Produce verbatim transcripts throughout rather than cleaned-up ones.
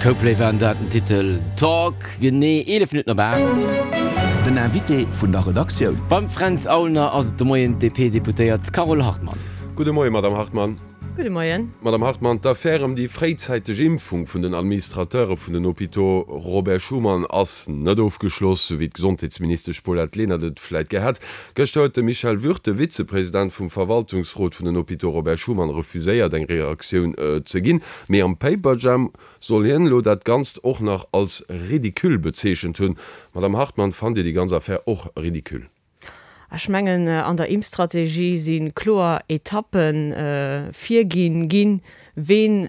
Coldplay waren dat, den Titel Talk. Genee eelef Minutten op aacht. Den Invité vun der Redaktioun. Beim Fränz Aulner ass et de Moien d'DP-Deputéiert Carole Hartmann. Gudde Moien, Madamm Hartmann. Gudde Moien. Madamm Hartmann, d'Affär ëm déi fréizäiteg Impfung vun den Administrateure vun den Hôpitaux Robert Schuman ass net ofgeschloss, sou wéi d'Gesondheetsministesch Paulette Lenert et vläit gär hätt. Gëschter huet de Michel Würth, de Vizepresident vum Verwaltungsrot vun den Hôpitaux Robert Schuman, refuséiert eng Reaktioun ze ginn. Mee am Paperjam soll hien elo dat Ganzt och nach als ridicule bezeechent hunn. Madamm Hartmann, fannt Dir déi ganz Affär och ridicule? Ech mengen, an der Impfstrategie si kloer Etappe virginn ginn, ween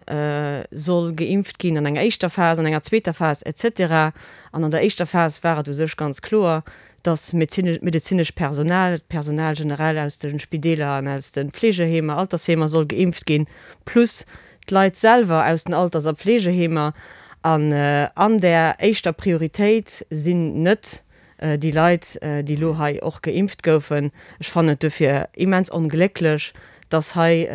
soll geimpft ginn an enger éischter Phas, an enger zweeter Phas et cetera. An an der éischter Phas war et u sech ganz kloer, dass medezinescht Personal, d'Personal generell aus de Spideeler an aus de Pflegeheemer, Altersheemer soll geimpft ginn, plus d'Leit selwer aus den Alters a Pflegeheemer. An an där éischter Prioritéit sinn net déi Leit, déi elo hei och geimpft goufen. Ech fannen et dofir immens onglécklech, dass hei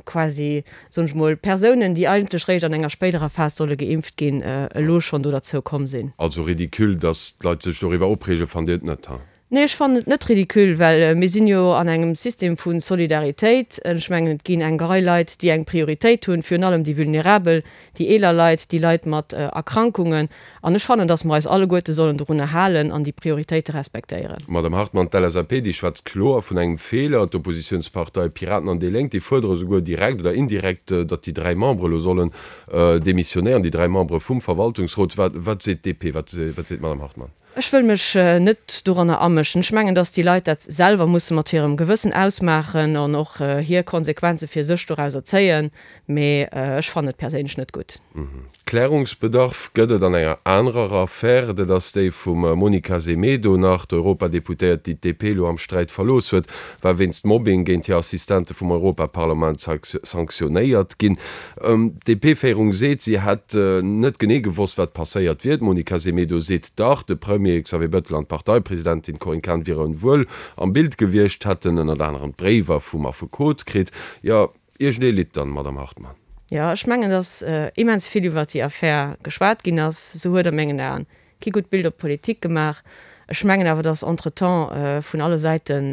quasi, soen ech mol, Persounen, déi eigentlech réischt an enger spéiderer Phas solle geimpft ginn, elo schonn do derzou komm sinn. Also ridicule, dass d'Leit sech doriwwer opreegen, fannt Dir et net, ha? Nee, ech fannen et net ridicule, well mir sinn jo an engem System vu Solidaritéit. Ech mengen, et ginn eng Rei Leit, déi eng Prioritéit hunn, virun allem déi Vulnerabel, déi eeler Leit, déi Leit mat Erkrankungen. An ech fannen, datt mer eis alleguerte sollen dorunner halen an déi Prioritéite respektéieren. Madamm Hartmann, d'LSAP, déi schwätzt kloer vun engem Feeler. D'Oppositiounspartei Piraten an déi Lénk, déi fuerdere souguer direkt oder indirekt, datt déi dräi Membere elo sollen demissionéieren, déi dräi Membere vum Verwaltungsrot. Wat seet d'DP, wat seet d'Madamm Hartmann? Ech wëll mech net doranner amëschen. Ech mengen, datt déi Leit dat selwer musse mat hirem Gewëssen ausmaachen an och hir Konsequenze fir sech dorauser zéien. Mee ech fannen et perséinlech net gutt. Klärungsbedarf gëtt et an enger anerer Affär, dat ass déi vum Monica Semedo. Nach d'Europadeputéiert, déi d'DP elo am Sträit verlooss huet, war wéinst Mobbing géint hir Assistente vum Europaparlament sanktionéiert ginn. D'DP-Féierung seet, si hätt net genee gewosst, wat passéiert wier. D'Monica Semedo seet dach, de Premier Xavier Bettel an d'Parteipresidentin Corinne Cahen wiere wuel am Bild gewiescht, hätten ënnert anerem Bréiwer vum Affekot kritt. Jo, iergendee litt dann, Madamm Hartmann. Jo, ech mengen, datt immens vill iwwert déi Affär geschwat ginn ass. Se huet a mengen Aen kee gutt Bild op d'Politik gemaach. Ech mengen awer, datt entretemps vun alle Säiten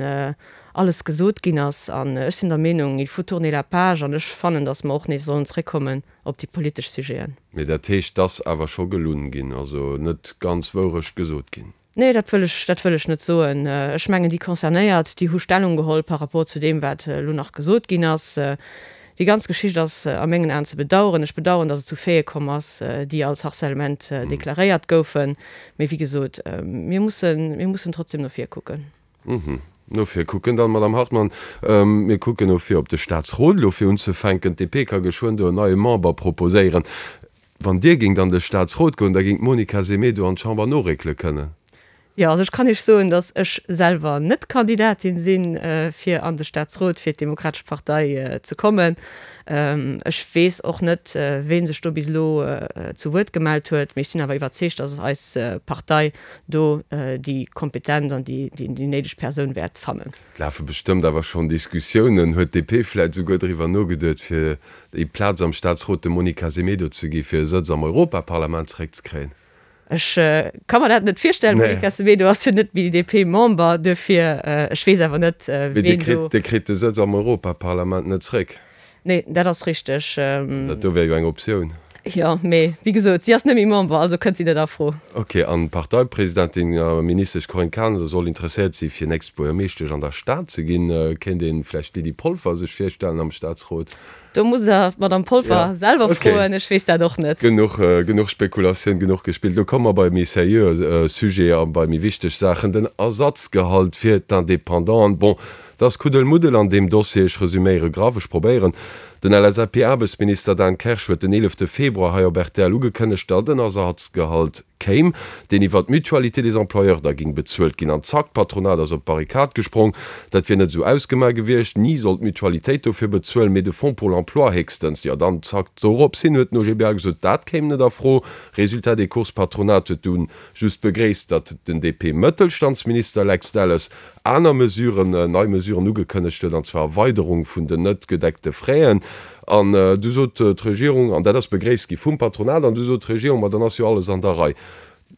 alles gesot ginn ass. An ech sinn der Meenung, il faut tourner la page. An ech fannen, datt mer och nees sollen zréckkommen op déi politesch Sujeten. Mee dat heescht, 't ass awer scho gelunn ginn, also net ganz Wourecht gesot ginn? Nee, dat wëll ech, dat wëll ech net soen. Ech mengen, déi Concernéiert, déi hu Stellung geholl par rapport zu deem, wat elo nach gesot ginn ass. Déi ganz Geschicht ass a mengen Aen ze bedauern. Ech bedauern, datt et zu Faite komm ass, déi als Harcèlement deklaréiert goufen. Mee wéi gesot, mir mussen, mir mussen trotzdem no vir kucken. No vir kucken dann, Madamm Hartmann. Mir kucken no vir op de Staatsrot elo fir unzefänken. D'DP ka geschwënn do en neie Member proposéieren. Wann Dir géingt an de Staatsrot goen, da géing d'Monica Semedo an d'Chamber noréckele kënnen. Jo, also ech kann Iech soen, datt ech selwer net Kandidatin sinn, fir an de Staatsrot fir d'Demokratesch Partei ze kommen. Ech weess och net, ween sech do bis elo zu Wuert gemellt huet, mee ech sinn awer iwwerzeegt, datt eis Partei do déi kompetent an déi néideg Persoun wäert fannen. Et lafe bestëmmt awer schonn Diskussiounen. Huet d'DP vläit esouguer driwwer nogeduet, fir déi Plaz am Staatsrot dem Monica Semedo ze gi fir e Sëtz am Europaparlament zeréckzekréien? Ech ka mer dat net virstellen. D'Monica Semedo ass jo net méi D P-Member, duerfir ech weess awer net, ween do. Mee Dir kritt de Sëtz am Europaparlament net zréck. Nee, dat ass richteg. Dat do wär jo eng Optioun. Jo, mee wéi gesot, si ass net méi Member, also kënnt si net a Fro. Ok, an d'Parteipresidentin a Ministesch Corinne Cahen soll interesséiert si fir nächst Buergermeeschtesch an der Stad ze ginn. Kéint ee vläicht d'Lydie Polfer sech virstellen am Staatsrot? Do musst Der d'Madame Polfer selwer froen, ech weess dat och net. Genuch, genuch Spekulatioun, genuch gespillt. Lo komme mer bei méi seriöe Sujete a bei méi wichteg Saachen, den Ersatzgehalt fir d'Independanten. Bon, et ass Kuddelmuddel an deem Dossier. Ech resüméiere graff, ech probéieren. Den L S A P-Aarbechtsminister Dan Kersch huet den eelefte Februar hei op R T L ugekënnegt, datt en Ersatzgehalt kéim, deen iwwer d'Mutualité des employeurs da géing bezuelt ginn. An zack, d'Patronat ass op d'Barrikad gesprong. Dat wier net esou ausgemaach gewiescht. Ni soll d'Mutualitéit dofir bezuelen, mee de Fonds pour l'emploi héchstens. Jo, dann zack, dorops hin huet den O G B L gesot, dat kéim net a Fro. Résultat des courses, d'Patronat huet dunn just begréisst, datt den D P-Mëttelstandsminister Lex Delles aner Mesuren, nei Mesuren ugekënnegt huet, an zwar Erweiderung vun den net gedeckte Fräen. An du sot d'Regierung, an dat ass begréisst gi vum Patronat, an du sot d'Regierung, ma dann ass jo alles an der Rei.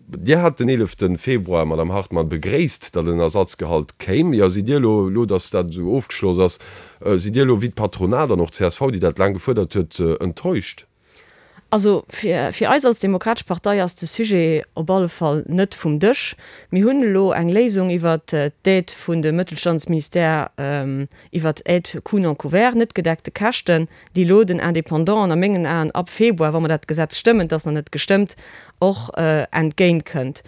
Dir hat den eelefte Februar, Madame Hartmann, begréisst, datt en Ersatzgehalt kéim. Jo, sidd Dir elo, elo datt dat esou ofgeschloss ass, sidd Dir elo wéi d'Patronat an och d'CSV, déi dat laang gefuerdert huet, enttäuscht? Also fir fir eis als Demokratesch Partei ass de Sujet op alle Fall net vum Dësch. Mir hunn elo eng Léisung iwwert d'Aide vun de Mëttelstandsministère, iwwert d'Aide coûts non couverts, net gedeckte Käschten, déi elo den Indépendanten a mengen Aen ab Februar, wa mer dat Gesetz stëmmen, et ass nach net gestëmmt, och entgéint kënnt.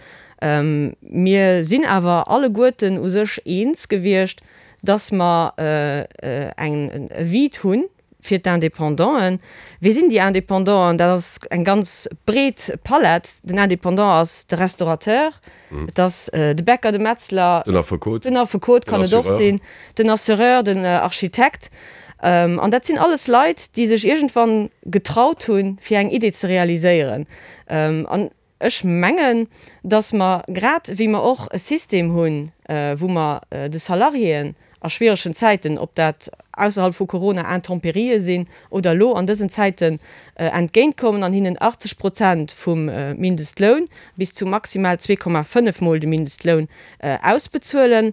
Mir sinn awer alleguerten u sech eens gewiescht, dass mer eng e Vide hunn, Fir d'Independanten, Wie sinn déi Independanten? Dat ass eng ganz breet Palett. Den Independant ass de Restaurateur, et ass de Bäcker, de Metzler, Den Affekot, den Affekot kann et och sinn, den Assureur, den Architekt. An dat sinn alles Leit, déi sech iergendwann getraut hunn, fir eng Idee ze realiséieren. An ech mengen, datt mer, grad wéi mer och e System hunn, wou mer de Salariéen a schwieregen Zäiten, ob dat ausserhalb vu Corona Intempérië sinn oder elo an dësen Zäiten, entgéintkommen an hinnen achtzeg Prozent vum Mindestloun bis zu maximal zwee Komma fënnef Mol de Mindestloun ausbezuelen,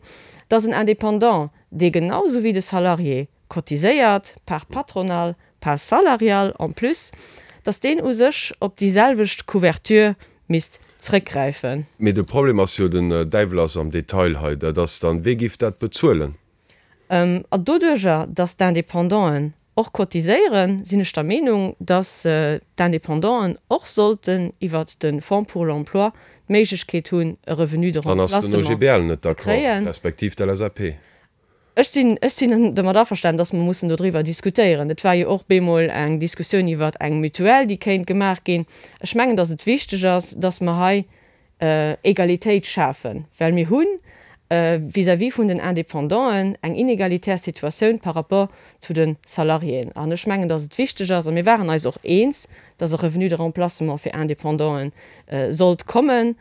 dass en Indépendant, dee genau esou wéi de Salarié cotiséiert, Part patronale, Part salariale en plus, dass deen u sech op déi selwecht Couverture misst zrëckgräifen. Mee de Problem ass jo, den Däiwel ass am Detail hei, dat ass dann, Wee géif dat bezuelen? A doduerjer, dass d'Independanten och cotiséieren, sinn ech der Meenung, dass d'Independanten och sollten iwwert de Fonds pour l'emploi d'Méiglechkeet hunn, e Revenu de Dann ass den remplacement O G B L net ze d'accord, kréien. respektiv d'L S A P. Ech sinn, ech sinn domat averstanen, dass mer mussen dodriwwer diskutéieren. Et war jo och bemol eng Diskussioun iwwert eng Mutuelle, déi kéint gemaach ginn. Ech mengen, dass et wichteg ass, dass mer hei Egalitéit schafen, well mir hu vis-à-vis vun den Indépendanten eng inegalitär Situatioun par rapport zu de Salariéen. An ech mengen, dass et wichteg ass, a mir waren eis och eens, dass e Revenu de remplacement fir Indépendanten sollt kommen,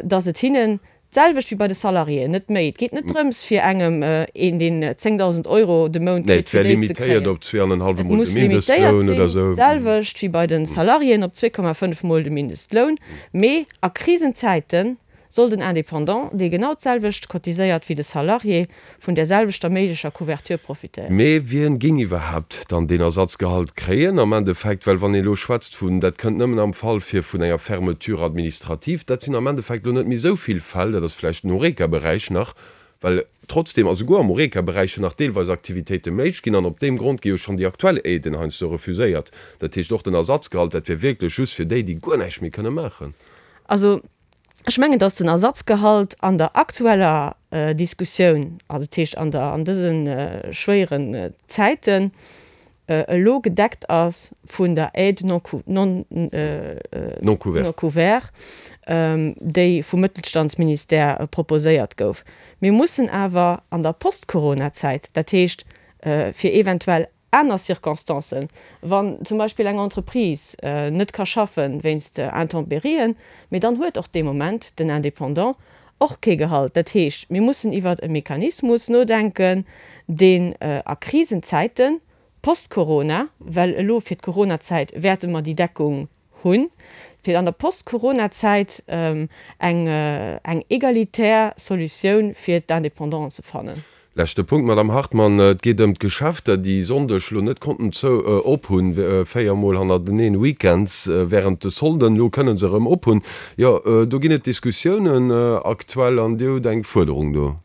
dass et hinnen d'selwecht wéi bei de Salariéen, net méi, et geet net drëms fir engem een, deen zéngdausend Euro de Mount Nee, kritt, et fir wär déi ze limitéiert kréien. op zwee an en hallwe Et Mol muss de limitéiert Mindestloun oder sinn, esou. d'selwecht wéi bei de Salariéen op zwee Komma fënnf Mol de Mindestloun, mee a Krisenzäite soll den Indépendant, dee genau d'selwecht cotiséiert wéi de Salarié, vun där selwechter méiglecher Couverture profitéieren. Mee wien géing iwwerhaapt dann deen Ersatzgehalt kréien am Endeffekt? Well wann ee elo schwätzt vun, dat kënnt nëmmen am Fall vir vun enger Fermeture administrative, dat sinn am Endeffekt elo net méi esou vill Fäll, dat ass vläicht den Horeca-Beräich nach, well trotzdem, a souguer am Horeca-Beräich jo nach deelweis Aktivitéite méiglech ginn an op deem Grond gi jo schonn déi aktuell Aiden heiansdo refuséiert. Dat heescht och den Ersatzgehalt, dat wier wierklech just fir déi, déi guer näischt méi kënne maachen. Also ech mengen, dass den Ersatzgehalt an der aktueller Diskussioun, also dat heescht an der, an dëse schwéieren Zäiten, elo gedeckt ass vun der Aide non non non couvert. non couvert, déi vum Mëttelstandsministère proposéiert gouf. Mir mussen awer an der Post-Corona-Zäit, dat heescht fir eventuell aner Circonstancen, wann zum Beispill eng Entreprise net ka schaffen wéinst Intempérien, mee dann huet och dee Moment den Indépendant och kee Gehalt. Dat heescht, mir mussen iwwert e Mechanismus nodenken, deen a Krisenzäiten, post-Corona, well elo fir d'Coronazäit wäerte mer déi Deckung hunn, fir an der Post-Corona-Zäit eng eng egalitär Solutioun fir d'Independanten ze fannen. Leschte Punkt, Madame Hartmann, Et geet ëm d'Geschäfter, déi Sonndeg elo net konnten zou op hunn, véier Mol hannerteneen weekends während de Solden. Elo kënne se erëm op hunn. Jo, do ginn et Diskussiounen aktuell an Dir hutt eng Fuerderung do.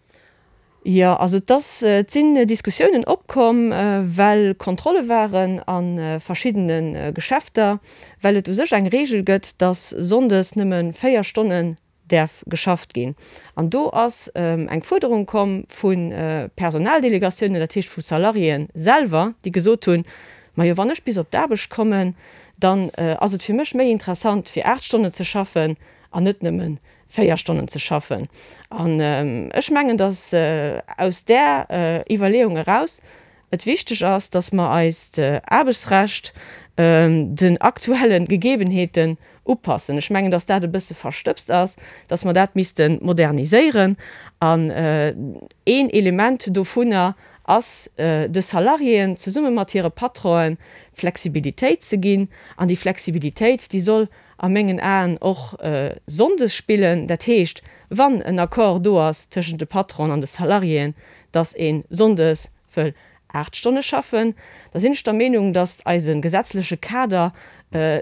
Jo, also et ass, et sinn Diskussiounen opkomm, well Kontrolle waren a verschiddene Geschäfter, well et u sech eng Reegel gëtt, dass sonndes nëmme véier Stonnen däerf geschafft ginn. An do ass eng Fuerderung komm vu Personaldelegatiounen, dat heescht vu Salariéen selwer, déi gesot hunn, Majo, wann ech bis op d'Aarbecht kommen, dann ass et fir mech méi interessant, fir aacht Stonnen ze schaffen an net nëmme véier Stonnen ze schaffen. An ech mengen, dass aus där Iwwerleeung eraus et wichteg ass, dass mer eist Aarbechtsrecht den aktuelle Gegebenheeten upassen. Ech mengen, dass dat e bësse verstëbst ass, dass mer dat misste moderniséieren. An een Element dovunner ass, de Salariéen zesumme mat hire Patronen Flexibilitéit ze ginn. An déi Flexibilitéit, déi soll a mengen Aen och sonndes spillen. Dat heescht, wann en Accord do ass tëschent de Patronen an de Salariéen, dass ee sonndes wëll aacht Stonne schaffen, da sinn ech der Meenung, dass eise gesetzleche Kader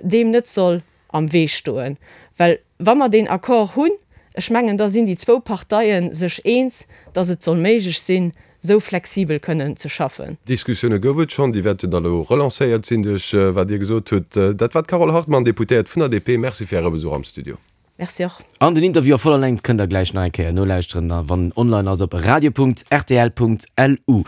deem net soll am Wee stoen. Well wa mer deen Accord hunn, ech mengen, da sinn déi zwou Parteie sech eens, dass et soll méiglech sinn, esou flexibel kënnen ze schaffen. Diskussioune gouf et schonn, déi wäerten da elo relancéiert sinn duerch wat Dir gesot hutt. Dat war d'Carole Hartmann, Deputéiert vun der D P. Merci fir Äre Besuch am Studio. Merci och. An den Interview a voller Längt kënnt der gläich nach eng Kéier nolauschteren, wann en online ass op radio punkt rtl punkt lu.